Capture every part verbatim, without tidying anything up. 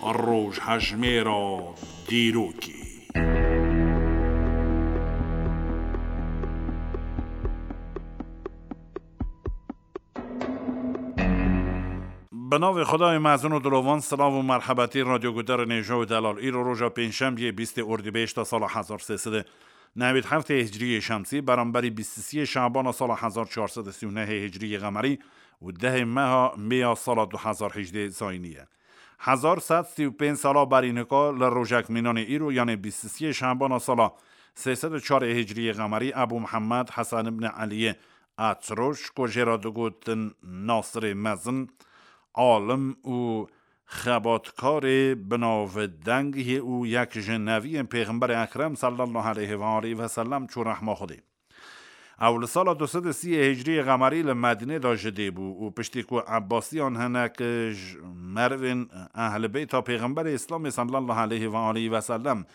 Rojhejmêra dîrokê. Bi navê Xwedayê mezin û dilovan, silav û merhebetî radyoguhdarên hêja û delal. Îro roja pêncşembiyê, bîstê ordîbêşta sala hezar sê sed û newêd heftê hicriyê şemsî, beramberî bîst û siyê şabana sala hezar çar sed û sî û nehê hicriyê qemerî û dehê meha mêya sala du hezar hejdê zayînî ye. Hezar sed sî û pênc sala berî nika li rojek mînanê îro, yanê bîst û siyê şabana sala sê sed û çarê hicriyê qemerî, Ebû Mihemed Hesen ibn Eliyê Etroş, ku jê re digotin Nasirê Mezin, alim û xebatkarê binavdeng yê û yek ji neviyên Pêxemberê Ekrem sallallahu aleyhi ve aleyhi ve sellem çû rehma Xwedê. Ew li sala du sed û sî hicriyê qemerî li Medînê de ji dê bû û piştî ku Ebbasiyan hinek ji merivên ehlê beyta Pêxemberê Îslamê sallallahu aleyhi ve aleyhi ve sellem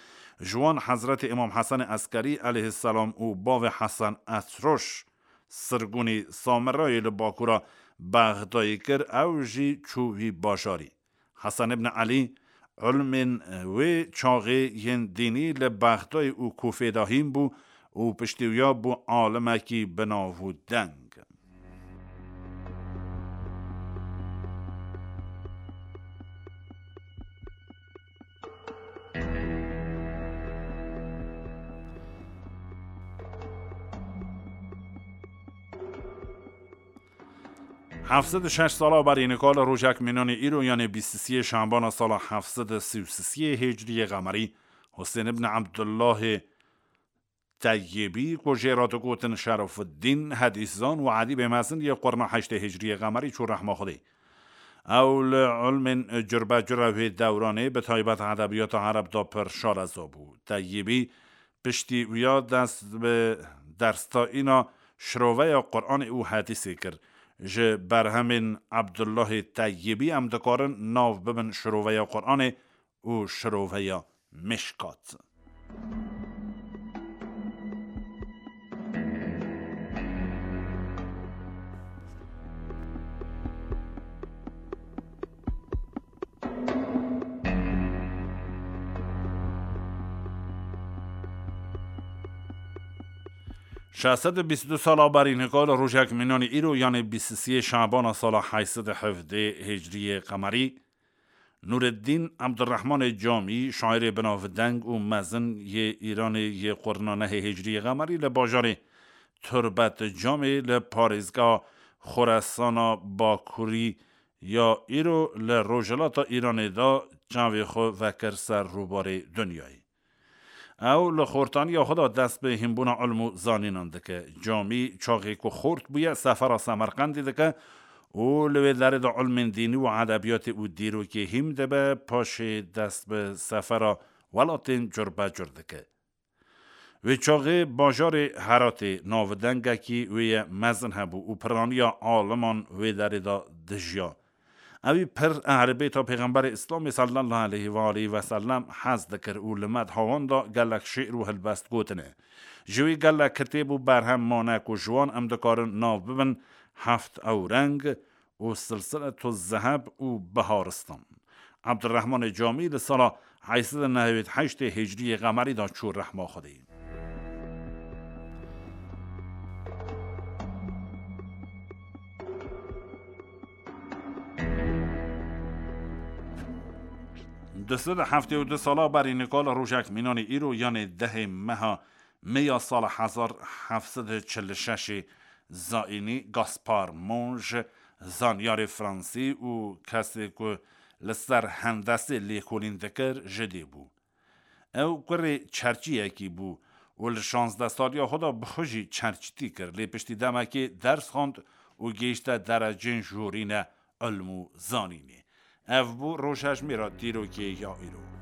ji wan Hezretê Îmam Hesen Eskerî aleyhisselam û bavê Hesen Etroş sirgûnî Samirayê li bakura Bexdayê kir, ew jî çû wî bajarî. Hesen ibn Elî, ilmên wê çaxê yên dînî li Bexdayê û Kûfê de hîn bû û piştî wiya bû alimekî binav û deng. Heft sed û şeş sala berî nika li rojek mînanê îro, yanê bîst û siyê şembana sala heft sed û sî û siyê hicriyê qemerî, Husên ibn Ebdullahê Teyyibî, ku jê re digotin Şerefuddîn, hedîszan û edîbê mezin yê qurna heştê hicriyê qemerî çû rehma Xwedê. Ew li ilmên curbecura wê dewranê, bi taybet edebiyata ereb de pir şareza bû. Teyyibî piştî wiya dest bi derstayîna şiroveya Qur'anê û hedîsê kir. Ji berhemên Ebdullahê Teyyibî em dikarin nav bibin şiroveya Qur'anê û şiroveya Mişkat. Şeş sed û bîst û du sala berî nika li rojek mînanê îro, yanê bîst û siyê şabana sala heşt sed û hevdê hicriyê qemerî, Nûreddîn Ebdurrehmanê Camî, şairê binavdeng û mezin yê Îranê yê qurna nehê hicriyê qemerî, li bajarê Turbet Camê li parêzgeha Xoresana Bakurî ya îro li rojhilata Îranê de çavê xwe vekir ser rûbarê dinyayê. Ew li xortaniya xwe de dest bi hînbûna ilm û zanînan dike. Camî çaxê ku xort bûye, sefera Semerqendê dike û li wê derê de ilmên dînî û edebiyatê û dîrokê hîn dibe, paşê dest bi sefera welatên curbecur dike. Wê çaxê bajarê Heratê navdengekî wê ye mezin hebû û piraniya aliman wê derê de dijiya. Ewî pir ehlê beyta Pêxemberê Îslamê sallallahu aleyhi ve aleyhi ve sellem hez dikir û li medha wan de gelek şi'r û helbest gotine. Ji wî gelek kitêb û berhem mane ku ji wan em dikarin nav bibin Heft Ewreng û Silsiletu Zeheb û Biharistan. Ebdurrehmanê Camî li sala heşt sed û nehewêd heştê hicriyê qemerî de çû rehma Xwedê. Du sed û heftê û du sala berî nika li rojek mînanê îro, yanê dehê meha meya sala hezar heft sed û çil û şeşê zayînî, Gaspar Monge, zanyarê fransî û kesê ku li ser hendesê lêkolîn dikir, ji dê bû. Ew kurê çerçiyekî bû û li şazdeh saliya xwe de bi xwe jî çerçitî kir, lê piştî demekê ders xwend û gihîşte derecên jorîne ilm û zanînê. Ev bû rojhejmêra dîrokê ya îro.